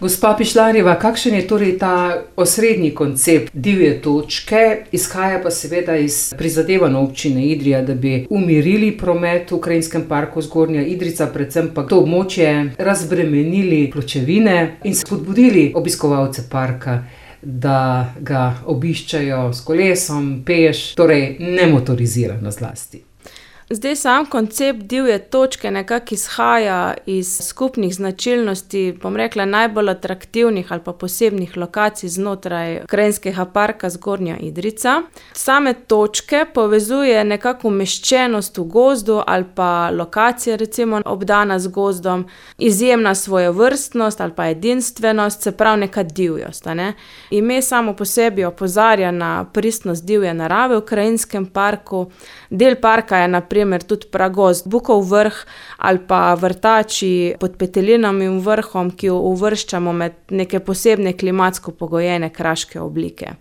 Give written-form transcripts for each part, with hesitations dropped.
Gospa Pišlarjeva, kakšen je torej ta osrednji koncept divje točke, izhaja pa seveda iz prizadevanj občine Idrija, da bi umirili promet v Krajinskem parku Zgornja Idrijca, predvsem pa to območje razbremenili pločevine in spodbudili obiskovalce parka, da ga obiščajo s kolesom, peš, torej nemotorizirano zlasti. Zdaj sam koncept divje točke nekako izhaja iz skupnih značilnosti, bom rekla, najbolj atraktivnih ali pa posebnih lokacij znotraj Krajinskega parka Zgornja Idrijca. Same točke povezuje nekako umeščenost v gozdu ali pa lokacija recimo obdana z gozdom, izjemna svojevrstnost ali pa edinstvenost, se pravi neka divjost. Ime samo po sebi opozarja na pristnost divje narave v Krajinskem parku. Del parka je na primer tudi pragozd Bukov vrh ali pa vrtači pod Petelinovim vrhom, ki jo uvrščamo med neke posebne klimatsko pogojene kraške oblike.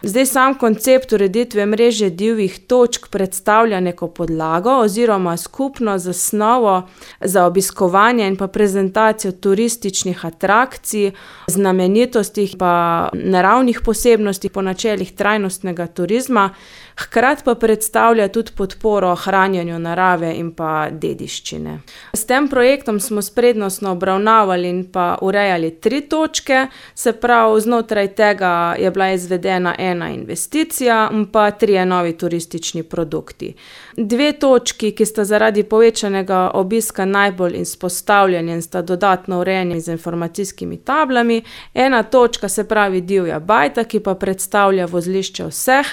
Zdaj sam koncept ureditve mreže divjih točk predstavlja neko podlago oziroma skupno zasnovo za obiskovanje in pa prezentacijo turističnih atrakcij, znamenitosti pa naravnih posebnosti po načelih trajnostnega turizma, hkrati pa predstavlja tudi podporo ohranjanju narave in pa dediščine. S tem projektom smo prednostno obravnavali in pa urejali 3 točke, se pravi, znotraj tega je bila izvedena ena investicija in pa 3 novi turistični produkti. 2 točki, ki sta zaradi povečanega obiska najbolj izpostavljeni in sta dodatno urejeni z informacijskimi tablami. Ena točka, se pravi Divja bajta, ki pa predstavlja vozlišče vseh,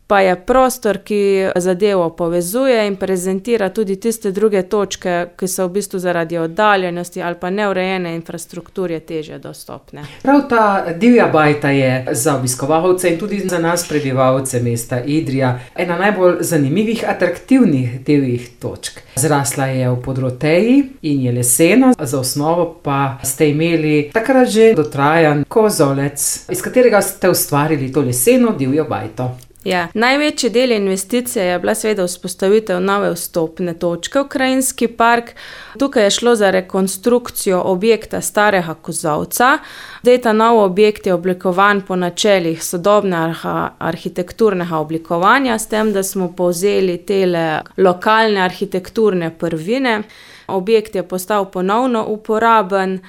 pa je prostor, ki zadevo povezuje in prezentira tudi tiste druge točke, ki so v bistvu zaradi oddaljenosti ali pa neurejene infrastrukture težje dostopne. Prav ta Divja bajta je za obiskovalce in tudi za nas prebivalce mesta Idrija ena najbolj zanimivih, atraktivnih divjih točk. Zrasla je v podroteji in je lesena, za osnovo pa ste imeli takrat že dotrajan kozolec, iz katerega ste ustvarili to leseno divjo bajto. Ja, največji del investicije je bila seveda vzpostavitev nove vstopne točke v Krajinski park. Tukaj je šlo za rekonstrukcijo objekta starega kozolca. Zdaj ta nov objekt je oblikovan po načelih sodobnega arhitekturnega oblikovanja, s tem, da smo povzeli tele lokalne arhitekturne prvine. Objekt je postal ponovno uporaben.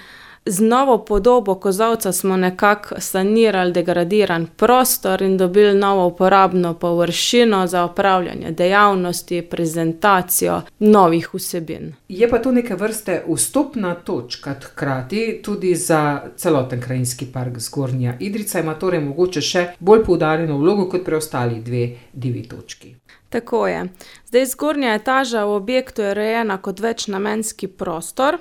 Z novo podobo kozolca smo nekako sanirali degradiran prostor in dobili novo uporabno površino za opravljanje dejavnosti, prezentacijo novih vsebin. Je pa to neke vrste vstopna točka, hkrati tudi za celoten Krajinski park Zgornja Idrijca, ima torej mogoče še bolj poudarjeno vlogo kot preostali 2 divji točki. Tako je. Zdaj zgornja etaža v objektu je urejena kot večnamenski prostor.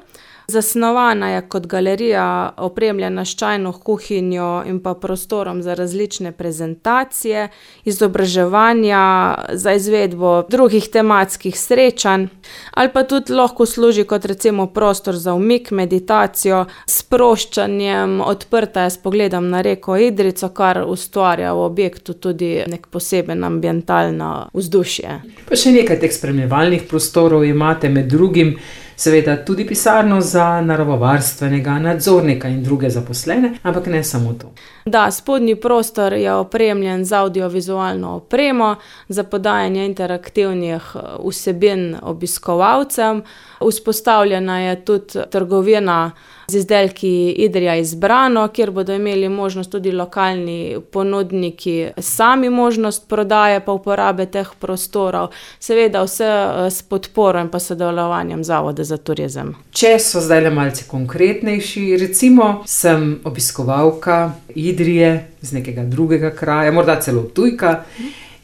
Zasnovana je kot galerija, opremljena s čajno kuhinjo in pa prostorom za različne prezentacije, izobraževanja, za izvedbo drugih tematskih srečanj, ali pa tudi lahko služi kot recimo prostor za umik, meditacijo, sproščanjem, odprta je s pogledom na reko Idrijco, kar ustvarja v objektu tudi nek poseben ambientalno vzdušje. Pa še nekaj teh spremljevalnih prostorov imate, med drugim seveda tudi pisarno za naravovarstvenega nadzornika in druge zaposlene, ampak ne samo to. Da, spodnji prostor je opremljen z audiovizualno opremo za podajanje interaktivnih vsebin obiskovalcem. Vzpostavljena je tudi trgovina z izdelki Idrija Izbrano, kjer bodo imeli možnost tudi lokalni ponudniki sami možnost prodaje pa uporabe teh prostorov. Seveda vse s podporo in pa sodelovanjem Zavoda za turizem. Če so zdaj le malce konkretnejši, recimo sem obiskovalka Idrije z nekega drugega kraja, morda celo tujka,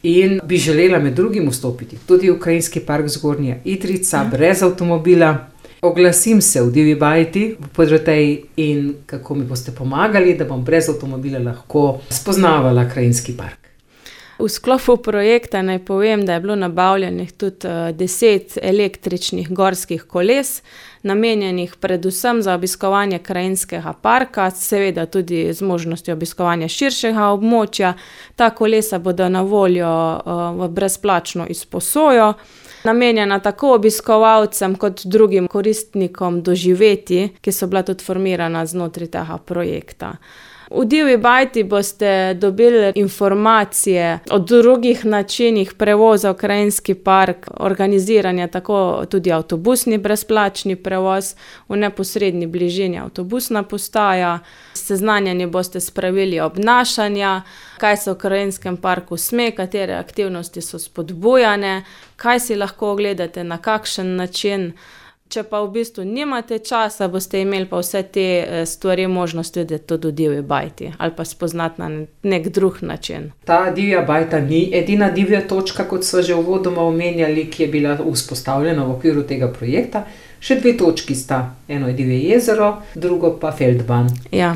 in bi želela med drugim vstopiti tudi v Krajinski park Zgornja Idrijca brez avtomobila. Oglasim se v Divji bajti v Podroteji in kako mi boste pomagali, da bom brez avtomobila lahko spoznavala Krajinski park. V sklopu projekta naj povem, da je bilo nabavljenih tudi 10 električnih gorskih koles, namenjenih predvsem za obiskovanje Krajinskega parka, seveda tudi z možnostjo obiskovanja širšega območja. Ta kolesa bodo na voljo v brezplačno izposojo. namenjena tako obiskovalcem kot drugim koristnikom doživetij, ki so bila tudi formirana znotraj tega projekta. V Divji bajti boste dobili informacije o drugih načinih prevoza v krajinski park, organiziranja tako tudi avtobusni brezplačni prevoz, v neposredni bližini avtobusna postaja, seznanjeni boste s pravili obnašanja, kaj se v krajinskem parku sme, katere aktivnosti so spodbujane, kaj si lahko ogledate, na kakšen način. Če pa v bistvu nimate časa, boste imeli pa vse te stvari možnost videti tudi v Divji bajti ali pa spoznati na nek drug način. Ta Divja bajta ni edina divja točka, kot so že uvodoma omenjali, ki je bila vzpostavljena v okviru tega projekta. Še 2 točki sta, eno je Divje jezero, drugo pa Feldbahn. Ja.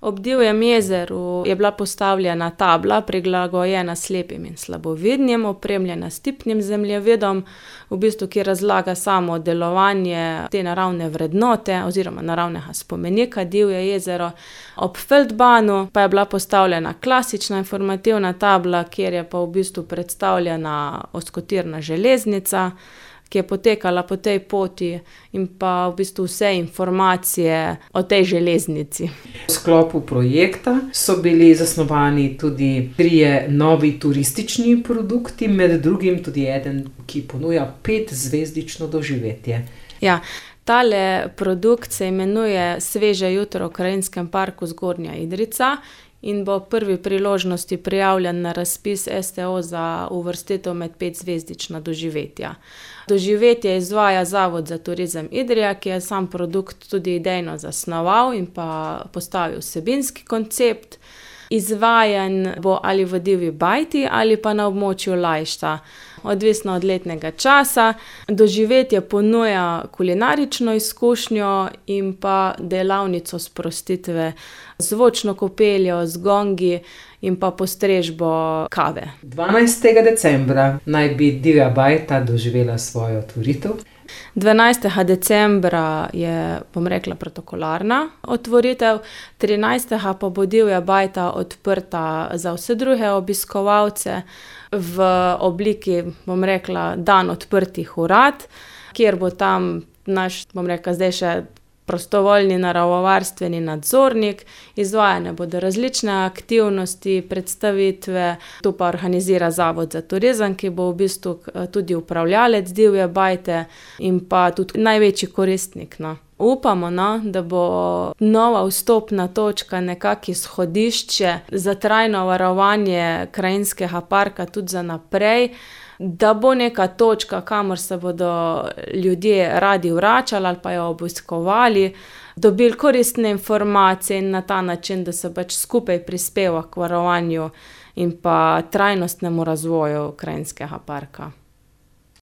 Ob Divjem jezeru je bila postavljena tabla, prilagojena slepim in slabovidnim, opremljena s tipnim zemljevidom, v bistvu, ki razlaga samo delovanje te naravne vrednote oziroma naravnega spomenika Divje jezero. Ob Feldbahnu pa je bila postavljena klasična informativna tabla, kjer je pa v bistvu predstavljena ozkotirna železnica, ki je potekala po tej poti, in pa v bistvu vse informacije o tej železnici. V sklopu projekta so bili zasnovani tudi 3 novi turistični produkti, med drugim tudi eden, ki ponuja 5-zvezdično doživetje. Ja, tale produkt se imenuje Sveže jutro v krajinskem parku Zgornja Idrijca in bo v prvi priložnosti prijavljen na razpis STO za uvrstitev med 5-zvezdična doživetja. Doživetje izvaja Zavod za turizem Idrija, ki je sam produkt tudi idejno zasnoval in pa postavil vsebinski koncept. Izvajan bo ali v Divji bajti ali pa na območju Lajšta, odvisno od letnega časa. Doživetje ponuja kulinarično izkušnjo in pa delavnico sprostitve, zvočno kopeljo z gongi in pa postrežbo kave. 12. decembra naj bi Divja bajta doživela svojo otvoritev. 12. decembra je, bom rekla, protokolarna otvoritev, 13. pa bo Divja bajta odprta za vse druge obiskovalce v obliki, bom rekla, dan odprtih vrat, kjer bo tam naš, bom rekla, zdaj še prostovoljni naravovarstveni nadzornik, izvajane bodo različne aktivnosti, predstavitve, to pa organizira Zavod za turizem, ki bo v bistvu tudi upravljalec Divje bajte in pa tudi največji koristnik, no. Upamo, no, da bo nova vstopna točka nekako izhodišče za trajno varovanje krajinskega parka tudi za naprej, da bo neka točka, kamor se bodo ljudje radi vračali ali pa jo obiskovali, dobili koristne informacije in na ta način, da se pač skupaj prispeva k varovanju in pa trajnostnemu razvoju krajinskega parka.